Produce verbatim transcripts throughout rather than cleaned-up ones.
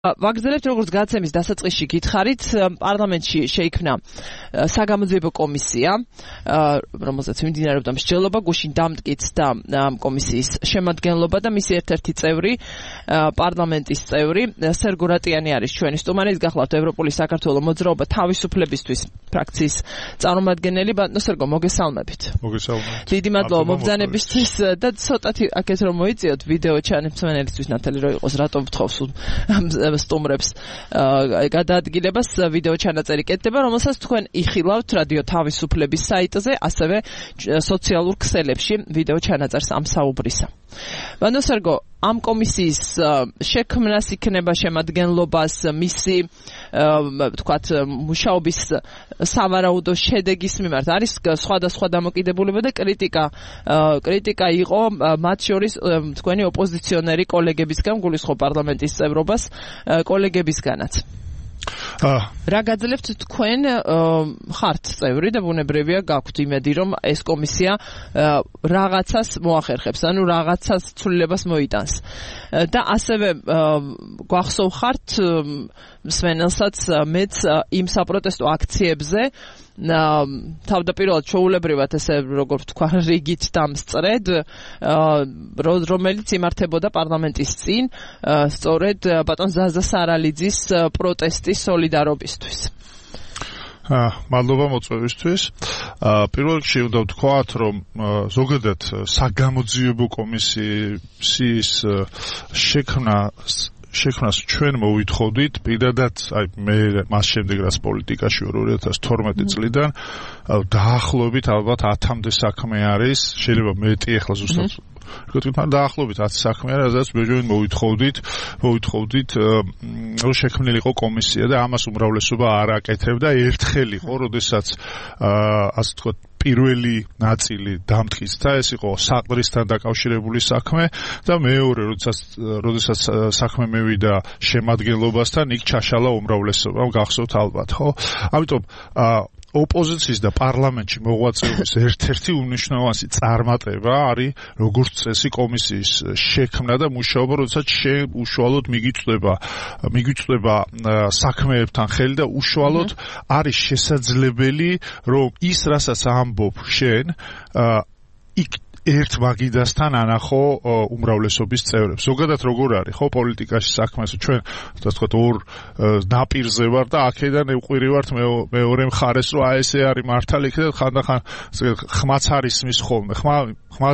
ვაგრძელებთ როგორც გაცემის დასაწყისში გითხარით, პარლამენტში შეიქმნა საგამოძიებო კომისია, რომელზეც მიმდინარეობდა მსჯელობა, გუშინ დამტკიცდა კომისიის შემადგენლობა და მისი ერთ-ერთი წევრი, პარლამენტის წევრი, სერგო რატიანი არის ჩვენი სტუმარი, ის გახლავთ ევროპული საქართველოს მოძრაობა თავისუფლებისთვის ფრაქციის წარმომადგენელი. ბატონო სერგო, მოგესალმებით. მოგესალმებით. დიდი მადლობა მობრძანებისთვის და ცოტათი აქეთ რომ მოიწიოთ ვიდეო ჩანაცვლელისთვის ნათელი რო იყოს, რატო ვთხოვს სტუმრებს გადაადგილებას ვიდეო ჩანაწერი კეთდება, რომელსაც თქვენ იხილავთ რადიო თავისუფლების საიტზე, ასევე სოციალურ ქსელებში ვიდეო ჩანაწერს ამ საუბრისა. ბატონო სერგო, ამ კომისიის შექმნას იქნება შემადგენლობას მისი თქვათ მუშაობის სავარაუდო შედეგის მიმართ არის სხვადასხვა დამოკიდებულება და კრიტიკა კრიტიკა იყო მათ შორის თქვენი ოპოზიციონერი კოლეგებისგან, გულისხმობ პარლამენტის წევრობას კოლეგებისგანაც. რა გაძლევთ თქვენ ხართ წევრი და ბუნებრივია გაქვთ იმედი რომ ეს კომისია რაღაცას მოახერხებს, ანუ რაღაცას ცვლილებას მოიტანს და ასევე გვახსოვხართ მსმენელსაც მეც იმ საპროტესტო აქციებზე თავდაპირველად ჩვეულებრივად ესე როგორ ვთქვა რიგით დამსწრედ რომელიც იმართებოდა პარლამენტის წინ სწორედ ბატონ ზაზა სარალიძის პროტესტის სოლიდარობისთვის. მადლობა მოწვევისთვის. პირველ რიგში უნდა ვთქვათ, რომ ზოგადად საგამოძიებო კომისიის შექმნა შექმნას ჩვენ მოვითხოვდით, პირადად აი მე მას შემდეგ რაც პოლიტიკაში ვარ ორი ათას თორმეტი წლიდან დაახლოებით ალბათ ათამდე საქმე არის, შეიძლება მეტი ახლა ზუსტად რკოთთან დაახლოებით ათი საქმე არის, სადაც ბეჯოვენ მოვითხოვდით, მოვითხოვდით რომ შექმნილიყო კომისია და ამას უმრავლესობა არ აკეთებდა. ერთხელ იყო, როდესაც ასე ვთქვათ პირველი ნაწილი დამტკიცდა, ეს იყო საყდრისთან დაკავშირებული საქმე და მეორე, როდესაც როდესაც საქმე მევიდა შემადგენლობასთან, იქ ჩაშალა უმრავლესობამ, გახსოვთ ალბათ, ხო? ამიტომ ოპოზიციის და პარლამენტში მოღვაწეობის ერთ-ერთი უმნიშვნელოვანესი წარმატება არის როგორც წესი კომისიის შექმნა და მუშაობა, როდესაც უშუალოდ მიგიწვდება მიგიწვდება საქმეებთან ხელი და უშუალოდ არის შესაძლებელი, რომ ის რასაც ამბობ შენ იქ ერთ მაგიდასთან ანახო უმრავლესობის წევრებს. ზოგადად როგორ არის, ხო, პოლიტიკაში საქმეს ჩვენ ასე ვთქვათ ორ ნაპირზე ვარ და აქედან ევყვირივართ მეორე მხარეს, რომ აი ესე არის მართალი იქ და ხანდახან ხმაც არის მის ხოლმე. ხმა ხმა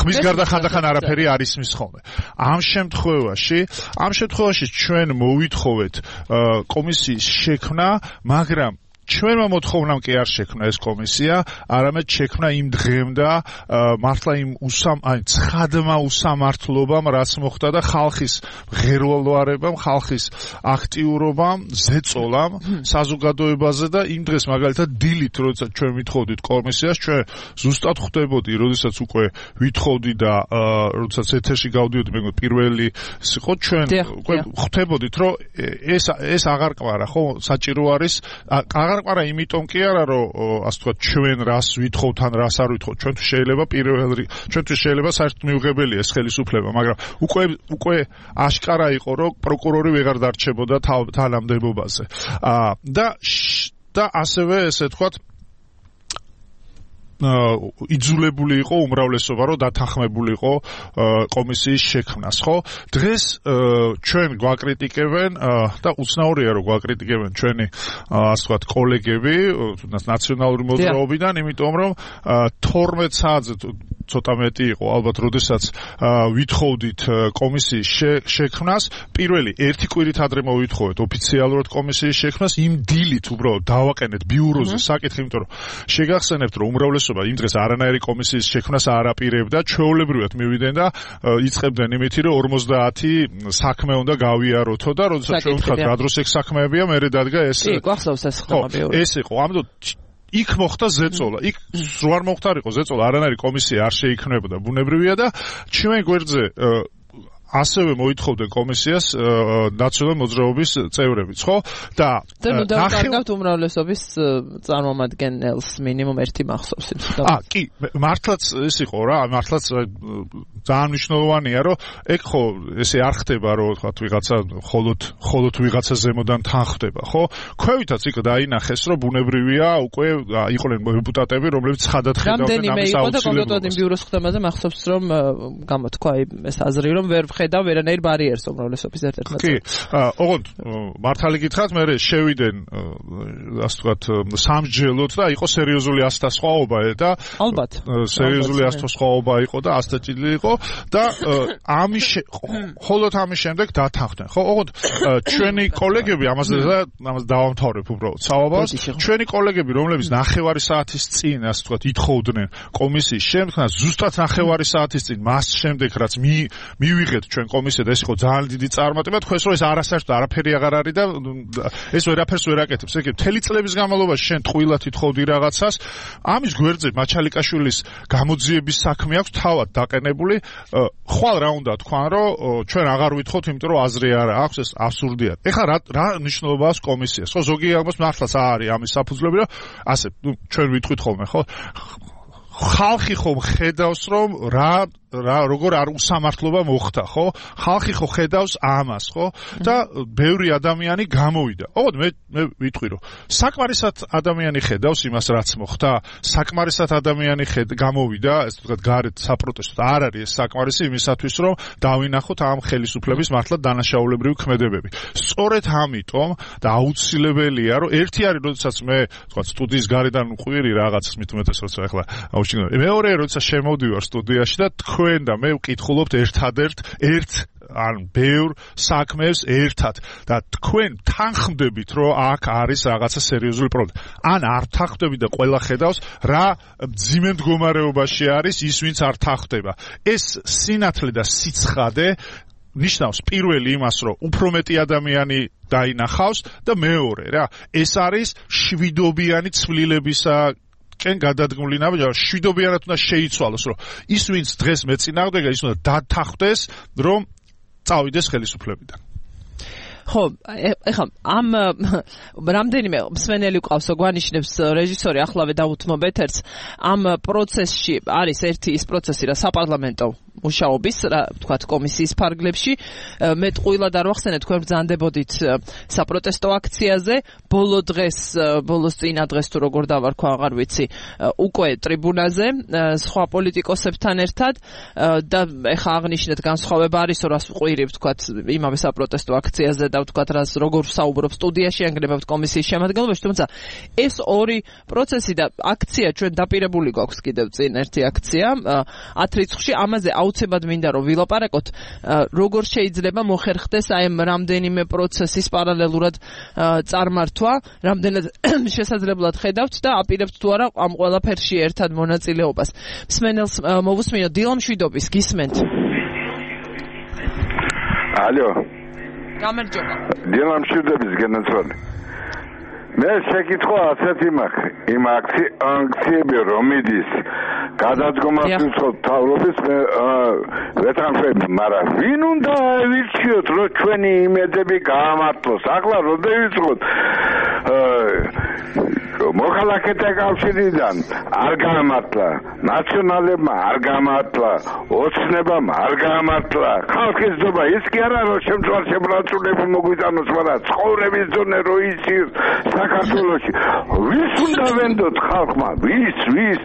ხმის გარდა ხანდახან არაფერი არის მის ხოლმე. ამ შემთხვევაში, ამ შემთხვევაში ჩვენ მოვითხოვეთ კომისიის შექმნა, მაგრამ ჩვენმა მოთხოვნამ კი არ შექმნა ეს კომისია, არამედ შექმნა იმ დღემდე მართლა იმ უსამ აი ცხადმა უსამართლობამ, რაც მოხდა და ხალხის ღერვალვარებამ, ხალხის აქტიურობამ, ზეწოლამ საზოგადოებაზე და იმ დღეს მაგალითად დილით, როდესაც ჩვენ ვითხოვდით კომისიას, ჩვენ ზუსტად ხვდებოდი, როდესაც უკვე ვითხოვდი და როდესაც ეთერში გავდიოდი, მეგონა პირველი იყო ჩვენ უკვე ხვდებოდით, რომ ეს ეს აღარ ყვარა, ხო, საჭირო არის აღარ იმიტომ კი არა, რომ ასე ვთქვათ ჩვენ რას ვითხოვთ ან რას არ ვითხოვთ, ჩვენთვის შეიძლება პირველი ჩვენთვის შეიძლება საერთოდ მიუღებელია ეს ხელისუფლება, მაგრამ უკვე უკვე აშკარა იყო, რომ პროკურორი ვეღარ დარჩებოდა თანამდებობაზე. და და ასევე ესე ვთქვათ იძულებული იყო უმრავლესობა, რომ დათანხმებულიყო კომისიის შექმნას, ხო? დღეს ჩვენ გვაკრიტიკებენ და უცნაურია, რომ გვაკრიტიკებენ ჩვენი ასე ვთქვათ კოლეგები, თუნდაც ნაციონალური მოძრაობიდან, იმიტომ რომ თორმეტ საათზე ცოტა მეტი იყო, ალბათ, როდესაც ვითხოვდით კომისიის შექმნას, პირველი ერთი კვირით ადრე მოვითხოვეთ ოფიციალურად კომისიის შექმნას, იმ დილით უბრალოდ დავაყენეთ ბიუროზე საკითხი, იმიტომ რომ შეგახსენებთ, რომ უმრავლესობა იმ დღეს არანაირი კომისიის შექმნას არ აპირებდა, ჩვეულებრივად მივიდნენ და იწყებდნენ იმით, რომ ორმოცდაათი საქმე უნდა გავიაროთო და როდესაც ჩვენ ვთქვათ, რა დროს ეგ საქმეებია, მერე დადგა ეს. კი, გვახსოვს ეს ხდება. ეს იყო, ამიტომ იქ მოხდა ზეწოლა. იქ რო არ მოხდარიყო ზეწოლა, არანაირი კომისია არ შეიქმნებოდა, ბუნებრივია და ჩვენ გვერდზე ასევე მოითხოვდნენ კომისიას ნაციონალური მოძრაობის წევრებიც, ხო? და ნუ დავკარგავთ უმრავლესობის წარმომადგენელს მინიმუმ ერთი მახსოვს იმ სიტყვას. აა, კი, მართლაც ის იყო რა, მართლაც ძალიან მნიშვნელოვანია, რომ ეგ ხო ესე არ ხდება, რომ თქვათ ვიღაცა ხოლოდ ხოლოდ ვიღაცა ზემოდან თან ხდება, ხო? ქვევითაც იქ დაინახეს, რომ ბუნებრივია, უკვე იყვნენ დეპუტატები, რომლებიც ცხადად ხედავდნენ ამის აუცილებლობას. რამდენიმე იყო და კონკრეტულად იმ ბიუროს ხდომაზე მახსოვს, რომ გამოთქვა ეს აზრი, რომ ვერ ვხედავ ვერანაირ ბარიერს უმრავლესობის ერთ-ერთ ნაწილში. კი, ოღონდ მართალი გითხრათ, მე შევიდენ ასე ვთქვათ სამსჯელოდ და იყო სერიოზული ასთა სხვაობა და ალბათ სერიოზული ასთა სხვაობა იყო და ასტაჭილი იყო და ამის ხოლოდ ამის შემდეგ დათანხმდნენ. ხო, ოღონდ ჩვენი კოლეგები ამაზე და ამას დავამთავრებ უბრალოდ საუბარს. ჩვენი კოლეგები, რომლებიც ნახევარი საათის წინ ასე ვთქვათ ითხოვდნენ კომისიის შემდგომ, ზუსტად ნახევარი საათის წინ მას შემდეგ რაც მივიღეთ ჩვენ კომისია და ეს იყო ძალიან დიდი წარმატება, თქვენს რომ ეს არასაერთოდ არაფერი აღარ არის და ეს ვერაფერს ვერ აკეთებს. ეგ მთელი წლების განმავლობაში შენ ტყუილად ითხოვდი რაღაცას. ამის გვერდზე მაჩალიკაშვილის გამოძიების საქმე აქვს თავად დაყენებული. ხვალ რა უნდა თქვან, რომ ჩვენ აღარ ვითხოვთ, იმიტომ რომ აზრი არ აქვს, ეს აბსურდია. ეხლა რა რა მნიშვნელობა აქვს კომისიას? ხო, ზოგი აღმოს მართლაც არის ამის საფუძვლები, რომ ასე ჩვენ ვიტყვით ხოლმე, ხო? ხალხი ხომ ხედავს, რომ რა რა როგორ არ უსამართლობა მოხდა, ხო? ხალხი ხო ხედავს ამას, ხო? და ბევრი ადამიანი გამოვიდა. ოღონდ მე მე ვიტყვი, რომ საკმარისად ადამიანი ხედავს იმას, რაც მოხდა. საკმარისად ადამიანი ხედ გამოვიდა, ესე ვთქვათ, გარეთ საპროტესტოდ არ არის ეს საკმარისი იმისათვის, რომ დავინახოთ ამ ხელისუფლების მართლა დანაშაულებრივი ქმედებები. სწორედ ამიტომ და აუცილებელია, რომ ერთი არის, როდესაც მე ვთქვათ, სტუდიის გარედან მყვირი რაღაცას მით უმეტეს, როცა ახლა აუჩინო. მეორე, როდესაც შემოვდივარ სტუდიაში და თქვენ და მე ვკითხულობთ ერთადერთ ერთ ან ბევრ საქმეს ერთად და თქვენ თანხმდებით, რომ აქ არის რაღაცა სერიოზული პრობლემა. ან არ თანხმდებით და ყველა ხედავს, რა მძიმე მდგომარეობაში არის ის, ვინც არ თანხმდება. ეს სინათლე და სიცხადე ნიშნავს პირველი იმას, რომ უფრო მეტი ადამიანი დაინახავს და მეორე რა, ეს არის შვიდობიანი ცვლილებისა კენ გადადგმული ნაბიჯი, შვიდობიანად უნდა შეიცვალოს, რომ ის ვინც დღეს მეწინააღმდეგა, ის უნდა დათანხმდეს, რომ წავიდეს ხელისუფლებიდან. ხო, ეხლა ამ რამდენიმე მსმენელი ყავს, გვანიშნებს რეჟისორი ახლავე დავუთმობ ეთერს, ამ პროცესში არის ერთი ის პროცესი, რა საპარლამენტო მუშაობის, რა ვთქვათ, კომისიის ფარგლებში. მე ტყუილად არ ვახსენე, თქვენ ბრძანდებოდით საპროტესტო აქციაზე, ბოლო დღეს, ბოლოს წინა დღეს თუ როგორ დავარქვა, აღარ ვიცი, უკვე ტრიბუნაზე, სხვა პოლიტიკოსებთან ერთად და ეხა აღნიშნეთ განსხვავება არის, რას ვყვირი, ვთქვათ, იმავე საპროტესტო აქციაზე და ვთქვათ, რას როგორ საუბრობ სტუდიაში, ანგრევებთ კომისიის შემადგენლობაში, თუმცა ეს ორი პროცესი და აქცია ჩვენ დაპირებული გვაქვს კიდევ წინ ერთი აქცია ათ რიცხვში, ამაზე აუცილებლად მინდა რომ ვილაპარაკოთ, როგორ შეიძლება მოხერხდეს აი ამ რამდენიმე პროცესის პარალელურად წარმართვა, რამდენად შესაძლებლად ხედავთ და აპირებთ თუ არა ამ ყველაფერში ერთად მონაწილეობას. მსმენელს მოვუსმინოთ დილა მშვიდობის, გისმენთ. ალო. გამარჯობა. დილა მშვიდობის გენაცვალე. მე შეკითხვა ასეთი მაქვს, იმ აქციები რომ მიდის გადადგომას უცხოთ თავრობის მე ვეთანხმები, მაგრამ ვინ უნდა ავირჩიოთ, რომ ჩვენი იმედები გაამართლოს? ახლა როდესაც მოქალაქეთა კავშირიდან არ გაამართლა, ნაციონალებმა არ გაამართლა, ოცნებამ არ გაამართლა, ხალხის ძობა ის კი არა, რომ შემწვარ შებრალწულები მოგვიტანოს, მაგრამ ცხოვრების დონე რო იცის საქართველოში. ვის უნდა ვენდოთ ხალხმა? ვის, ვის?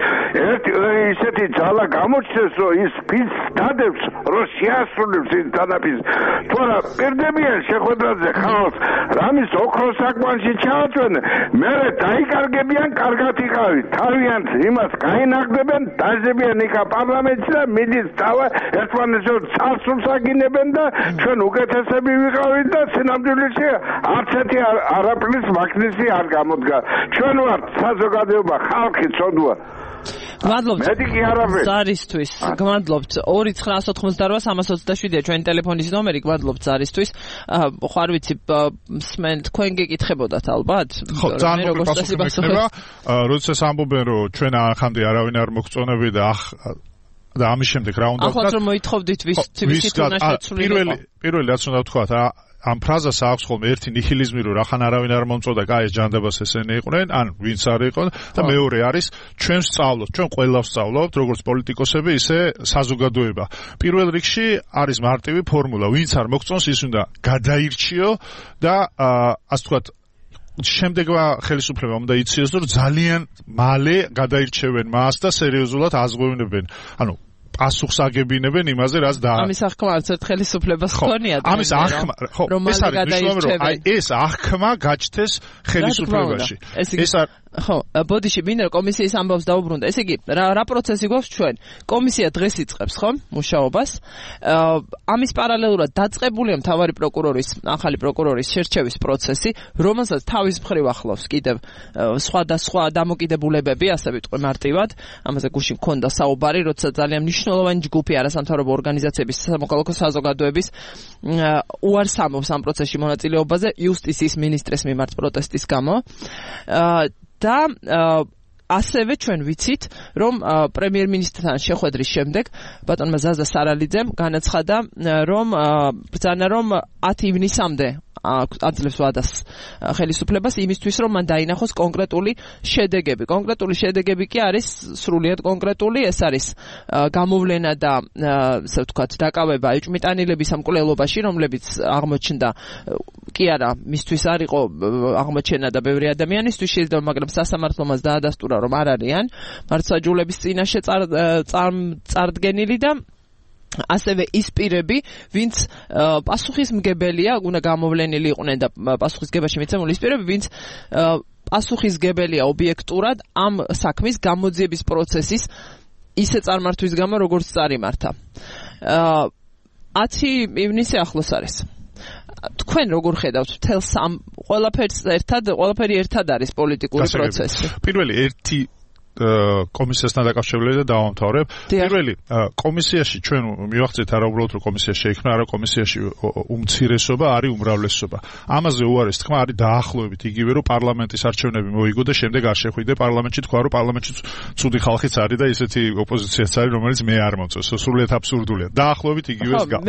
ერთი ისეთი ძალა გამოჩნდეს, რომ ის ფის დადებს, რომ შეასრულებს ის დანაფის. თუ არა პირდებიან შეხვედრაზე ხალხს, რამის ოქროს საკმანში ჩააწვენენ, მერე დაიკარგებიან, კარგად იყავით. თავიანთ იმას გაინახდებენ, დაჟებიან იქა პარლამენტში და მიდის დავა ერთმანეთს წარსულს აგინებენ და ჩვენ უკეთესები ვიყავით და სინამდვილეში არც ერთი არაფრის მაგნისი არ გამოდგა. ჩვენ ვართ საზოგადოება, ხალხი ცოდვა. გმადლობთ. მეტი კი არაფერი. ზარისთვის. გმადლობთ. ორი ცხრა ოცდაშვიდი სამას ოცდაშვიდია ჩვენი ტელეფონის ნომერი. გმადლობთ ზარისთვის. ხო არ ვიცი, მსმენ თქვენ გეკითხებოდათ ალბათ? ხო, ძალიან მოკლედ პასუხი მექნება. როდესაც ამბობენ, რომ ჩვენ ახამდე არავინ არ მოგწონები და და ამის შემდეგ რა უნდა ვთქვა? ახლა რომ მოითხოვდით ვის ვისით უნდა შეცვლილიყო. პირველი პირველი რაც უნდა ვთქვა, ამ ფრაზას აქვს ხოლმე ერთი ნიჰილიზმი, რომ რახან არავინ არ მომწოდა, კაი ეს ჯანდაბას ესენი იყვნენ, ან ვინც არ იყო და მეორე არის ჩვენ ვსწავლობთ, ჩვენ ყველა ვსწავლობთ, როგორც პოლიტიკოსები, ისე საზოგადოება. პირველ რიგში არის მარტივი ფორმულა, ვინც არ მოგწონს, ის უნდა გადაირჩიო და ასე ვთქვათ შემდეგმა ხელისუფლებამ უნდა იციოს, რომ ძალიან მალე გადაირჩევენ მას და სერიოზულად აზღვევნებენ. ანუ პასუხს აგებინებენ იმაზე, რაც და ამის აღქმა არც ერთ ხელისუფლებას ჰქონია. ამის აღქმა, ხო, ეს არის მნიშვნელოვანი, რომ აი ეს აღქმა გაჩნდეს ხელისუფლებაში. ეს არ ხო, ბოდიში მინდა კომისიის ამბავს დაუბრუნდა. ესე იგი, რა რა პროცესი გვაქვს ჩვენ? კომისია დღეს იწყებს, ხო, მუშაობას. ამის პარალელურად დაწყებულია მთავარი პროკურორის, ახალი პროკურორის შერჩევის პროცესი, რომელსაც თავის მხრივ ახლავს კიდევ სხვადასხვა დამოკიდებულებები, ასე ვიტყვი მარტივად. ამაზე გუშინ მქონდა საუბარი, როცა ძალიან მნიშვნელოვანი ჯგუფი არასამთავრობო ორგანიზაციების, სამოქალაქო საზოგადოების უარს ამბობს ამ პროცესში მონაწილეობაზე იუსტიციის მინისტრის მიმართ პროტესტის გამო. და ასევე ჩვენ ვიცით, რომ პრემიერ-მინისტრთან შეხვედრის შემდეგ ბატონმა ზაზა სარალიძემ განაცხადა, რომ ბრძანა რომ ათი ივნისამდე აძლევს ვადას ხელისუფლებას იმისთვის, რომ მან დაინახოს კონკრეტული შედეგები. კონკრეტული შედეგები კი არის სრულიად კონკრეტული, ეს არის გამოვლენა და ასე ვთქვათ, დაკავება ეჭვმიტანილების სამკვლელობაში, რომლებიც აღმოჩნდა კი არა, მისთვის არ იყო აღმოჩენა და ბევრი ადამიანისთვის შეიძლება, მაგრამ სასამართლომაც დაადასტურა, რომ არ არიან მართლმსაჯულების წინაშე წარდგენილი და ასევე ის პირები, ვინც პასუხისმგებელია, უნდა გამოვლენილი იყვნენ და პასუხისგებაში მიცემული ის პირები, ვინც პასუხისგებელია ობიექტურად ამ საქმის გამოძიების პროცესის ისე წარმართვის გამო, როგორც წარიმართა. ათი ივნისი ახლოს არის. თქვენ როგორ ხედავთ მთელს ამ ყველაფერს ერთად, ყველაფერი ერთად არის პოლიტიკური პროცესი? პირველი ერთი კომისიასთან დაკავშირებული და დავამთავრებ. პირველი კომისიაში ჩვენ მივახცეთ არა უბრალოდ რომ კომისია შეიქმნა, არა კომისიაში უმცირესობა არის უმრავლესობა. ამაზე უარეს თქმა არის დაახლოებით იგივე რომ პარლამენტის არჩევნები მოიგო და შემდეგ არ შეხვიდე პარლამენტში, თქვა რომ პარლამენტში ცუდი ხალხიც არის და ისეთი ოპოზიციაც არის, რომელიც მე არ მომწონს. სრულიად აბსურდულია. დაახლოებით იგივეს გავს.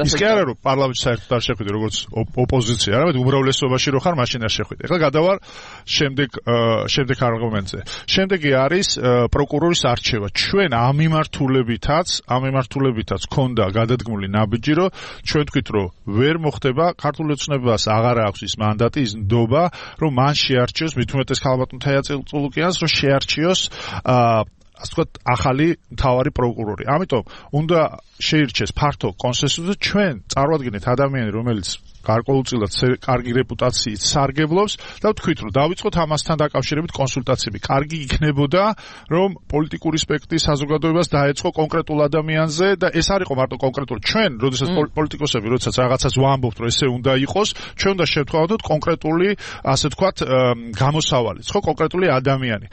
ის კი არა რომ პარლამენტში საერთოდ არ შეხვიდე როგორც ოპოზიცია, არამედ უმრავლესობაში რო ხარ, მაშინ არ შეხვიდე. ეხლა გადავარ შემდეგ შემდეგ არგუმენტზე. შემდეგი არის პროკურორის არჩევა. ჩვენ ამ მიმართულებითაც, ამ მიმართულებითაც ქონდა გადადგმული ნაბიჯი, რომ ჩვენ თქვით, რომ ვერ მოხდება ქართულ ოცნებას აღარ აქვს ის მანდატი, ის ნდობა, რომ მან შეარჩიოს, მით უმეტეს ქალბატონ თაია წულუკიანს, რომ შეარჩიოს ასე ვთქვათ, ახალი მთავარი პროკურორი. ამიტომ უნდა შეირჩეს ფართო კონსენსუსი, ჩვენ წარვადგენთ ადამიანი, რომელიც გარკვეულწილად კარგი რეპუტაციით სარგებლობს და ვთქვით, რომ დავიწყოთ ამასთან დაკავშირებით კონსულტაციები. კარგი იქნებოდა, რომ პოლიტიკური სპექტრი საზოგადოებას დაეწყო კონკრეტულ ადამიანზე და ეს არ იყო მარტო კონკრეტული. ჩვენ, როდესაც პოლიტიკოსები, როდესაც რაღაცას ვამბობთ, რომ ესე უნდა იყოს, ჩვენ უნდა შევთვალოთ კონკრეტული, ასე ვთქვათ, გამოსავალიც, ხო, კონკრეტული ადამიანი.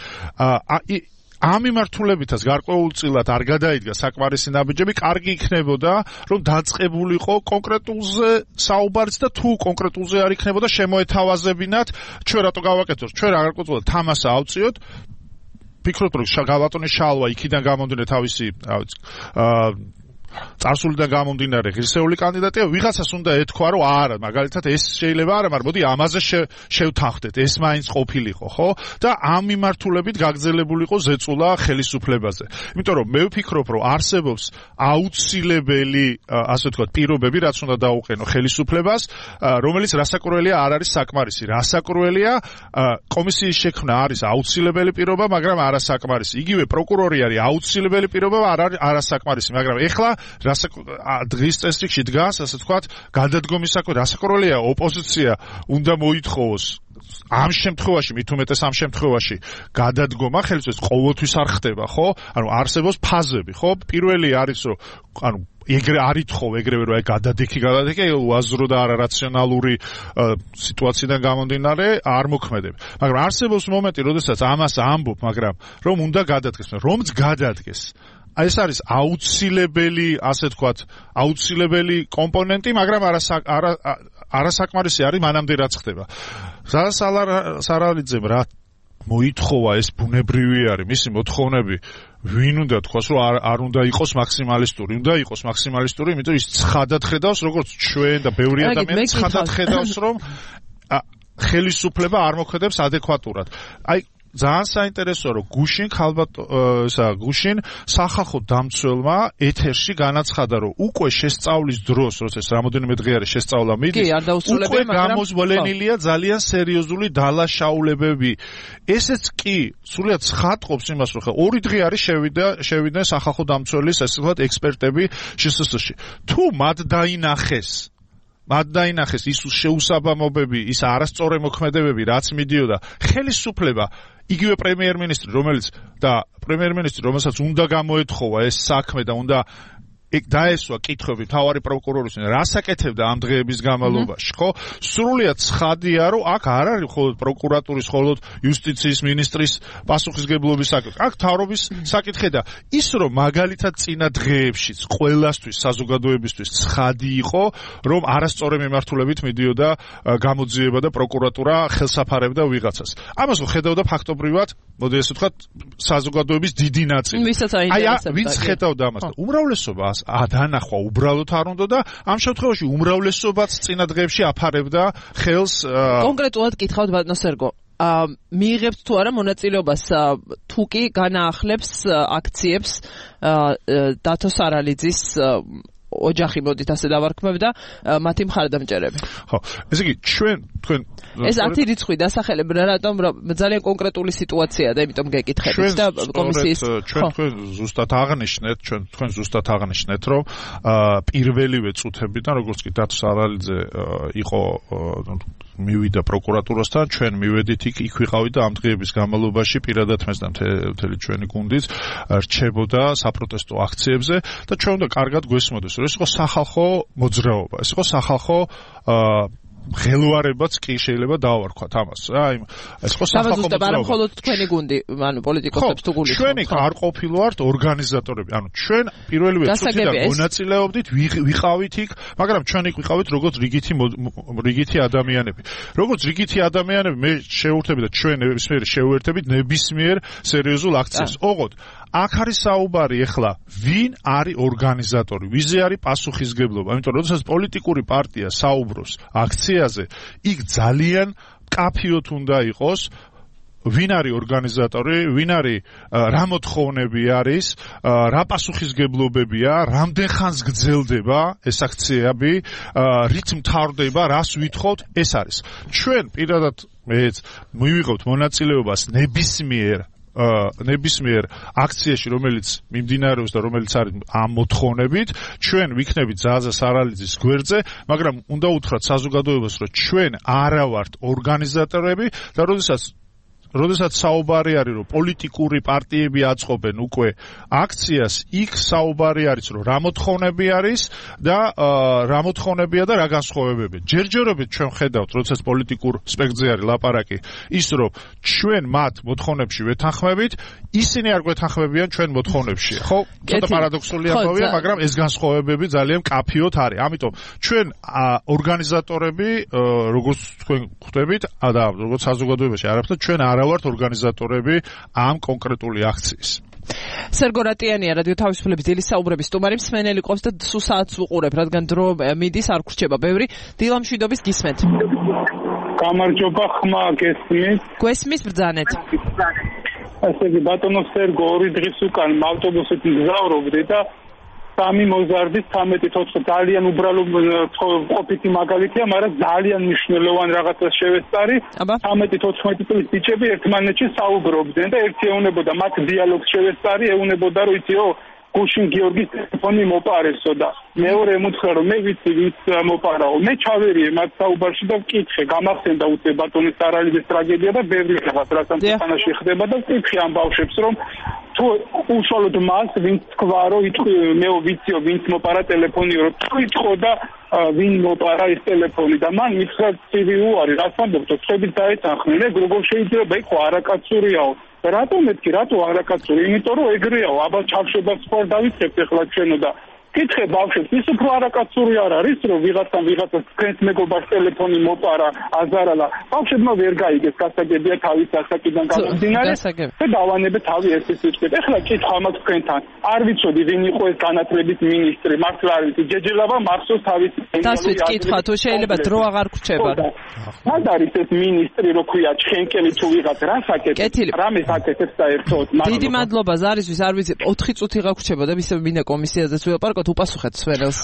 ამ მიმართულებითაც გარკვეულწილად არ გადაიდგა საკმარისი ნაბიჯები, კარგი იქნებოდა, რომ დაწყებულიყო კონკრეტულზე საუბარიც და თუ კონკრეტულზე არ იქნებოდა შემოეთავაზებინათ, ჩვენ რატო გავაკეთოთ, ჩვენ გარკვეულწილად თამასა ავწიოთ, ფიქრობთ, რომ გალატონის შალვა იქიდან გამომდინარე თავისი წარსულიდან გამომდინარე ღირსეული კანდიდატია, ვიღაცას უნდა ეთქვა, რომ არა, მაგალითად ეს შეიძლება არა, მაგრამ მოდი ამაზე შევთანხმდეთ, ეს მაინც ყოფილიყო, ხო? და ამ მიმართულებით გაგრძელებულიყო ზეწოლა ხელისუფლებაზე. იმიტომ რომ მე ვფიქრობ, რომ არსებობს აუცილებელი, ასე ვთქვათ, პირობები, რაც უნდა დაუყენო ხელისუფლებას, რომელიც რასაკურველია არ არის საკმარისი. რასაკურველია კომისიის შექმნა არის აუცილებელი პირობა, მაგრამ არა საკმარისი. იგივე პროკურორი არის აუცილებელი პირობა, არ არის არასაკმარისი, მაგრამ ეხლა დღის წესრიგში დგას, ასე ვთქვათ, გადადგომის საქმე, რასაკურველია ოპოზიცია უნდა მოითხოვოს ამ შემთხვევაში, მით უმეტეს ამ შემთხვევაში გადადგომა ხელისუფლებას ყოველთვის არ ხდება, ხო? ანუ არსებობს ფაზები, ხო? პირველი არის, რომ ანუ ეგრე არ ითხოვ ეგრევე რომ აი გადადიქი გადადიქი უაზრო და არარაციონალური სიტუაციიდან გამომდინარე არ მოქმედებ. მაგრამ არსებობს მომენტი, როდესაც ამას ამბობ, მაგრამ რომ უნდა გადადგეს, რომც გადადგეს. ეს არის აუცილებელი, ასე ვთქვათ, აუცილებელი კომპონენტი, მაგრამ არასაკმარისი არის მანამდე რაც ხდება. სარალიძემ რა მოითხოვა, ეს ბუნებრივი არის, მისი მოთხოვნები ვინ უნდა თქვას, რომ არ, არ უნდა იყოს მაქსიმალისტური, უნდა იყოს მაქსიმალისტური, იმიტომ ის ცხადად ხედავს, როგორც ჩვენ და ბევრი ადამიანი ცხადად ხედავს, რომ ხელისუფლება არ მოქმედებს ადეკვატურად. აი ძალიან საინტერესოა, რომ გუშინ ხალბატ ესა გუშინ სახალხო დამცველმა ეთერში განაცხადა, რომ უკვე შესწავლის დროს, როცა რამოდენიმე დღე არის შესწავლა მიდის, უკვე გამოსვლენილია ძალიან სერიოზული დალაშაულებები. ესეც კი სულიად ცხადყოფს იმას, რომ ხა ორი დღე არის შევიდა შევიდნენ სახალხო დამცველის ასე ვთქვათ ექსპერტები შსს-ში. თუ მათ დაინახეს მათ დაინახეს ის შეუსაბამობები, ის არასწორი მოქმედებები, რაც მიდიოდა ხელისუფლება, იგივე პრემიერ-მინისტრი, რომელიც და პრემიერ-მინისტრი, რომელსაც უნდა გამოეთხოვა ეს საქმე და უნდა ეგ დაესვა კითხვები მთავარი პროკურორის, რას აკეთებდა ამ დღეების განმავლობაში, ხო? სრულიად ცხადია, რომ აქ არ არის მხოლოდ პროკურატურის, მხოლოდ იუსტიციის მინისტრის პასუხისგებლობის საკითხი. აქ მთავრობის საკითხი და ის, რომ მაგალითად წინა დღეებშიც ყველასთვის, საზოგადოებისთვის ცხადი იყო, რომ არასწორი მიმართულებით მიდიოდა გამოძიება და პროკურატურა ხელსაფარებდა ვიღაცას. ამას ხედავდა ფაქტობრივად, მოდი ესე ვთქვათ, საზოგადოების დიდი ნაწილი. აი, ვინც ხედავდა ამას და უმრავლესობა ადანახვა უბრალოდ არ უნდა და ამ შემთხვევაში უმრავლესობაც წინა დღეებში აფარებდა ხელს. კონკრეტულად კითხავთ ბატონო სერგო, მიიღებთ თუ არა მონაწილეობას თუ კი განაახლებს აქციებს დათო სარალიძის ოჯახი, მოდით ასე დავარქმევ და მათი მხარდამჭერები. ხო, ესე იგი ჩვენ თქვენ ეს ათი რიცხვი დასახელებ რატომ ძალიან კონკრეტული სიტუაციაა და იმიტომ გეკითხებით და კომისიის ჩვენ თქვენ ზუსტად აღნიშნეთ, ჩვენ თქვენ ზუსტად აღნიშნეთ, რომ პირველივე წუთებიდან როგორც კი დათო სარალიძე იყო მივიდა პროკურატურასთან, ჩვენ მივედით იქ, იქ ვიყავით და ამ დღეების განმავლობაში პირადად მეც და მთელი ჩვენი გუნდიც რჩებოდა საპროტესტო აქციებზე და ჩვენ უნდა კარგად გვესმოდეს, რომ ეს იყო სახალხო მოძრაობა, ეს იყო სახალხო ღელვარებაც კი შეიძლება დავარქვათ ამას რა, იმ ეს იყო სახალხო მოძრაობა. არა მხოლოდ თქვენი გუნდი, ანუ პოლიტიკოსებს თუ გულით. ჩვენ იქ არ ყოფილვართ ორგანიზატორები, ანუ ჩვენ პირველივე წუთიდან მონაწილეობდით, ვიყავით იქ, მაგრამ ჩვენ იქ ვიყავით როგორც რიგითი რიგითი ადამიანები. როგორც რიგითი ადამიანები მე შევურთები და ჩვენ ნებისმიერ შევერთებით ნებისმიერ სერიოზულ აქციას. ოღონდ აქ არის საუბარი ახლა ვინ არის ორგანიზატორი, ვიზე არის პასუხისგებლობა, იმიტომ რომ როდესაც პოლიტიკური პარტია საუბრობს აქციაზე, იქ ძალიან კაფიოთ უნდა იყოს ვინ არის ორგანიზატორი, ვინ არის რა მოთხოვნები არის, რა პასუხისგებლობებია, რამდენ ხანს გრძელდება ეს აქციები, რით მთავრდება, რას ვითხოვთ, ეს არის. ჩვენ პირადად მეც მივიღებთ მონაწილეობას ნებისმიერ ნებისმიერ აქციაში, რომელიც მიმდინარეობს და რომელიც არის ამ მოთხოვნებით, ჩვენ ვიქნებით ზაზა სარალიძის გვერდზე, მაგრამ უნდა უთხრათ საზოგადოებას, რომ ჩვენ არა ვართ ორგანიზატორები და როდესაც როდესაც საუბარი არის, რომ პოლიტიკური პარტიები აწყობენ უკვე აქციას, იქ საუბარი არის, რომ რა მოთხოვნები არის და რა მოთხოვნებია და რა განსხვავებებია. ჯერჯერობით ჩვენ ხედავთ, როდესაც პოლიტიკურ სპექტრზე არის ლაპარაკი, ის რომ ჩვენ მათ მოთხოვნებში ვეთანხმებით, ისინი არ გვეთანხმებიან ჩვენ მოთხოვნებში. ხო, ცოტა პარადოქსული ამბავია, მაგრამ ეს განსხვავებები ძალიან კაფიოთ არის. ამიტომ ჩვენ ორგანიზატორები, როგორც თქვენ ხვდებით და როგორც საზოგადოებაში არაფერად ჩვენ არ ვართ ორგანიზატორები ამ კონკრეტული აქციის. სერგო რატიანია, რადიო თავისუფლების დილის საუბრების სტუმარი, მსმენელი ყავს და სულ საათს ვუყურებ, რადგან დრო მიდის, არ გრჩება ბევრი. დილა მშვიდობის გისმენთ. გამარჯობა, ხმა გესმის. გვესმის ბრძანეთ. ასე იგი ბატონო სერგო, ორი დღის უკან ავტობუსით მგზავრობდი და სამი მოზარდის თერთმეტი თოთხმეტი ძალიან უბრალო ყოფითი მაგალითია, მაგრამ ძალიან მნიშვნელოვანი რაღაცას შევესწარი. თერთმეტი თოთხმეტი წლის ბიჭები ერთმანეთში საუბრობდნენ და ერთი ეუნებოდა მათ დიალოგს შევესწარი, ეუნებოდა რომ იციო გუშინ გიორგის ტელეფონი მოპარესო და მეორე ემუცხრა რომ მე ვიცი ვის მოპარაო. მე ჩავერიე მათ საუბარში და ვკითხე, გამახსენდა უცე ბატონის სარალიძის ტრაგედია და ბევრი რაღაც რაც ამ ქვეყანაში ხდება და ვკითხე ამ ბავშვებს რომ თუ უშუალოდ მას ვინც თქვა რომ მე ვიციო ვინც მოპარა ტელეფონი რომ თუ იტყო და ვინ მოპარა ეს ტელეფონი და მან მითხრა ცივი უარი რას ამბობთ ხებით დაეთანხმენ ეგ როგორ შეიძლება იქ არაკაცურიაო რატომ მეთქი რატო არაკაცური იმიტომ რომ ეგრეაო აბა ჩავშებას ხوار დავიწყებთ ახლა ჩვენო და კითხე ბავშვებს, ის უფრო არაკაცური არ არის, რომ ვიღაცამ ვიღაცას თქვენს მეგობარს ტელეფონი მოპარა, აზარალა. ბავშვებმა ვერ გაიგეს, გასაგებია თავის ასაკიდან გამომდინარე და დავანებე თავი ერთის უწყვეტ. ეხლა კითხვა მაქვს თქვენთან. არ ვიცოდი ვინ იყო ეს განათლების მინისტრი, მართლა არ ვიცი. ჯეჯელავა მახსოვს თავის დასვით კითხვა თუ შეიძლება დრო აღარ გრჩება. მად არის ეს მინისტრი, რო ქვია ჩხენკელი თუ ვიღაც რა საკეთებს, რამეს აკეთებს საერთოდ. დიდი მადლობა ზარისთვის, არ ვიცი, ოთხი წუთი გაგრჩება და ისევ მინდა კომისიაზეც ვილაპარაკოთ, უპასუხეთ სვერელს.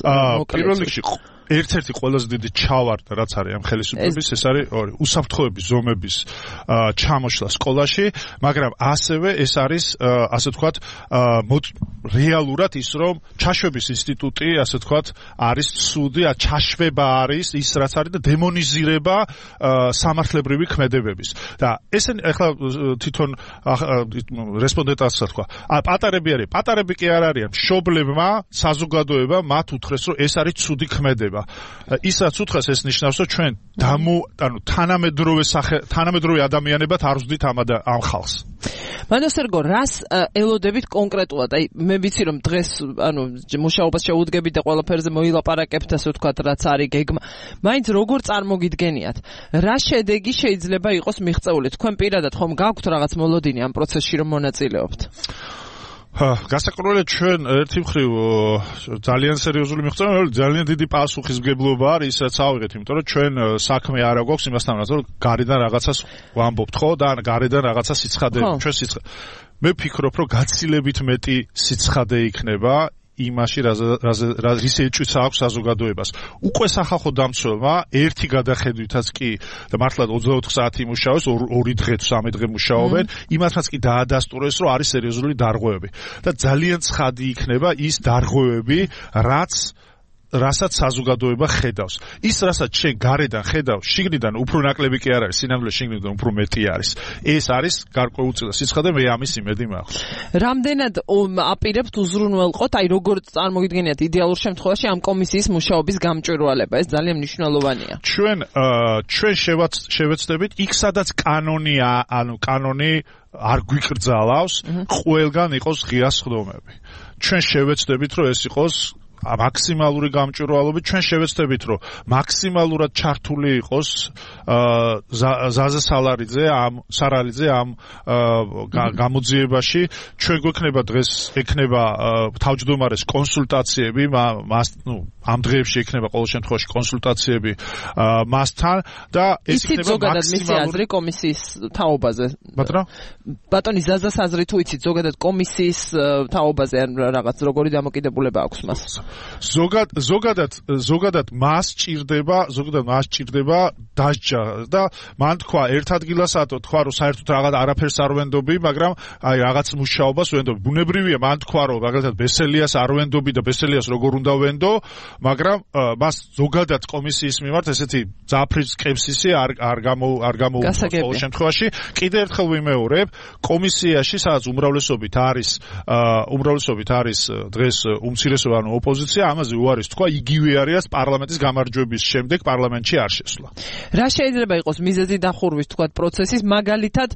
პირველ რიგში ერთ-ერთი ყველაზე დიდი ჩავარდა რაც არის ამ ხელისუფლების ეს არის ორი უსაფრთხოების ზომების ჩამოშლა სკოლაში, მაგრამ ასევე ეს არის ასე ვთქვათ რეალურად ის რომ ჩაშვების ინსტიტუტი ასე ვთქვათ არის ცუდი, ჩაშვება არის ის რაც არის და დემონიზირება სამართლებრივი ქმედებების. და ესენი ახლა თვითონ რესპონდენტაც თქვა, პატარები არის, პატარები კი არ არიან, მშობლებმა, საზოგადოებამ მათ უთხრეს რომ ეს არის ცუდი ქმედება. ისაც უთხრეს ეს ნიშნავს რომ ჩვენ დამო ანუ თანამედროვე თანამედროვე ადამიანებად არ ვზდით ამ ამ ხალხს. მანოსერგო რას ელოდებით კონკრეტულად? აი მე ვიცი რომ დღეს ანუ მუშაობას შეუდგებით და ყველაფერზე მოილაპარაკებთ ასე ვთქვათ რაც არის გეგმა. მაინც როგორ წარმოგიდგენიათ? რა შედეგი შეიძლება იყოს მიღწეული? თქვენ პირადად ხომ გაქვთ რაღაც მოლოდინი ამ პროცესში რომ მონაწილეობთ? გასაკურველია ჩვენ ერთი მხრივ ძალიან სერიოზული მიღწევა, ძალიან დიდი პასუხისმგებლობა არის, ისაც ავიღეთ, იმიტომ რომ ჩვენ საქმე არ აქვს იმასთან, რომ გარედან რაღაცას ვამბობთ, ხო, და გარედან რაღაცა სიცხადე, ჩვენ სიცხადე. მე ვფიქრობ, რომ გაცილებით მეტი სიცხადე იქნება იმაში რის ეჭვიც აქვს საზოგადოებას. უკვე სახალხო დამცველმა ერთი გადახედვითაც კი და მართლა ოცდაოთხ საათი იმუშავეს, ორი დღე თუ სამი დღე მუშაობენ, იმათაც კი დაადასტურეს, რომ არის სერიოზული დარღვევები. და ძალიან ცხადი იქნება ის დარღვევები, რაც რასაც საზოგადოება ხედავს. ის რასაც შენ გარედან ხედავს, შიგნიდან უფრო ნაკლები კი არ არის, სინამდვილე შიგნიდან უფრო მეტი არის. ეს არის გარკვეულწილად სიცხადე, მე ამის იმედი მაქვს. რამდენად აპირებთ უზრუნველყოთ, აი როგორ წარმოგიდგენიათ იდეალურ შემთხვევაში ამ კომისიის მუშაობის გამჭვირვალება? ეს ძალიან მნიშვნელოვანია. ჩვენ ჩვენ შევეცდებით იქ სადაც კანონია, ანუ კანონი არ გვიკრძალავს, ყველგან იყოს ღია სხდომები. ჩვენ შევეცდებით, რომ ეს იყოს მაქსიმალური გამჭვირვალობით, ჩვენ შევეცდებით, რომ მაქსიმალურად ჩართული იყოს ზაზა სალარიძე ამ სარალიძე ამ გამოძიებაში. ჩვენ გვექნება დღეს ექნება თავმჯდომარეს კონსულტაციები, მას ნუ ამ დღეებში ექნება ყოველ შემთხვევაში კონსულტაციები მასთან და ეს იქნება მაქსიმალური კომისიის თაობაზე. ბატონო? ბატონი ზაზას აზრი თუ იცით ზოგადად კომისიის თაობაზე ან რაღაც როგორი დამოკიდებულება აქვს მას? ზოგად ზოგადად ზოგადად მას ჭირდება, ზოგადად მას ჭირდება დასჯა და მან თქვა ერთ ადგილასათო თქვა რომ საერთოდ რაღაც არაფერს არ ვენდობი, მაგრამ აი რაღაც მუშაობას ვენდობი. ბუნებრივია მან თქვა რომ მაგალითად ბესელიას არ ვენდობი და ბესელიას როგორ უნდა ვენდო, მაგრამ მას ზოგადად კომისიის მიმართ ესეთი ძაფრის სკეპსისი არ არ გამო არ გამოუწევს ყოველ შემთხვევაში. კიდე ერთხელ ვიმეორებ, კომისიაში სადაც უმრავლესობით არის უმრავლესობით არის დღეს უმცირესობა ანუ ოპოზიცია, ამაზე უარის თქვა, იგივე არის პარლამენტის გამარჯვების შემდეგ პარლამენტში არ შესვლა. რა შეიძლება იყოს მიზეზი დახურვის თქვათ პროცესის, მაგალითად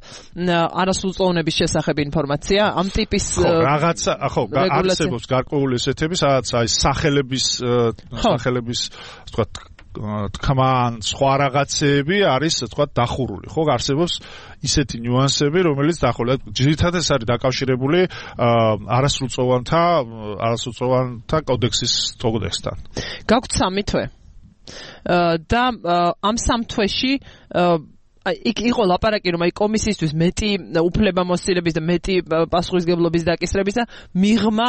არასრულწლოვნების შესახებ ინფორმაცია, ამ ტიპის რაღაცა, ხო, არსებობს გარკვეული ესეთები, სადაც აი სახელების სახელების თქვათ თქმან სხვა რაღაცეები არის თქვათ დახურული, ხო, არსებობს ისეთი ნიუანსები, რომელიც დახურული. ძირითადად ეს არის დაკავშირებული არასრულწლოვანთა არასრულწლოვანთა კოდექსის კოდექსთან. გაგვთ სამი თვე. და ამ სამ თვეში იქ იყო ლაპარაკი რომ აი კომისიისთვის მეტი უფლებამოსილების და მეტი პასუხისგებლობის დაკისრების და მიღმა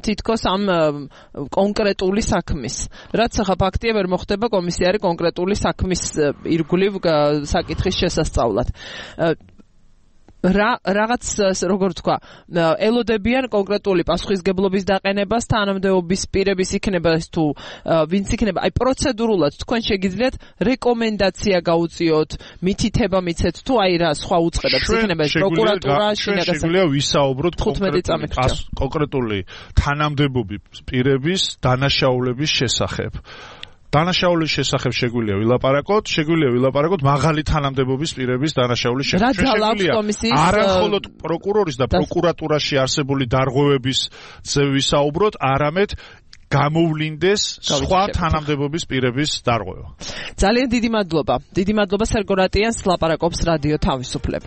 თითქოს ამ კონკრეტული საქმის. რაც ახლა ფაქტია ვერ მოხდება კომისია არის კონკრეტული საქმის ირგვლივ საკითხის შესასწავლად. რა რაღაც როგორ თქვა ელოდებიან კონკრეტული პასუხისგებლობის დაყენებას თანამდებობის პირების იქნება თუ ვინც იქნება აი პროცედურულად თქვენ შეგიძლიათ რეკომენდაცია გაუწიოთ მითითება მიცეთ თუ აი რა სხვა უწყებად იქნება ეს პროკურატურა შეგვიძლია ვისაუბროთ კონკრეტული თანამდებობის პირების დანაშაულების შესახებ. დანაშაულის შესახებ შეგვიძლია ვილაპარაკოთ, შეგვიძლია ვილაპარაკოთ მაღალი თანამდებობის პირების დანაშაულის შესახებ. შეგვიძლია არა მხოლოდ პროკურორის და პროკურატურაში არსებული დარღვევების ზე ვისაუბროთ, არამედ გამოვლინდეს სხვა თანამდებობის პირების დარღვევა. ძალიან დიდი მადლობა. დიდი მადლობა სერგო რატიანს ლაპარაკობს რადიო თავისუფლება.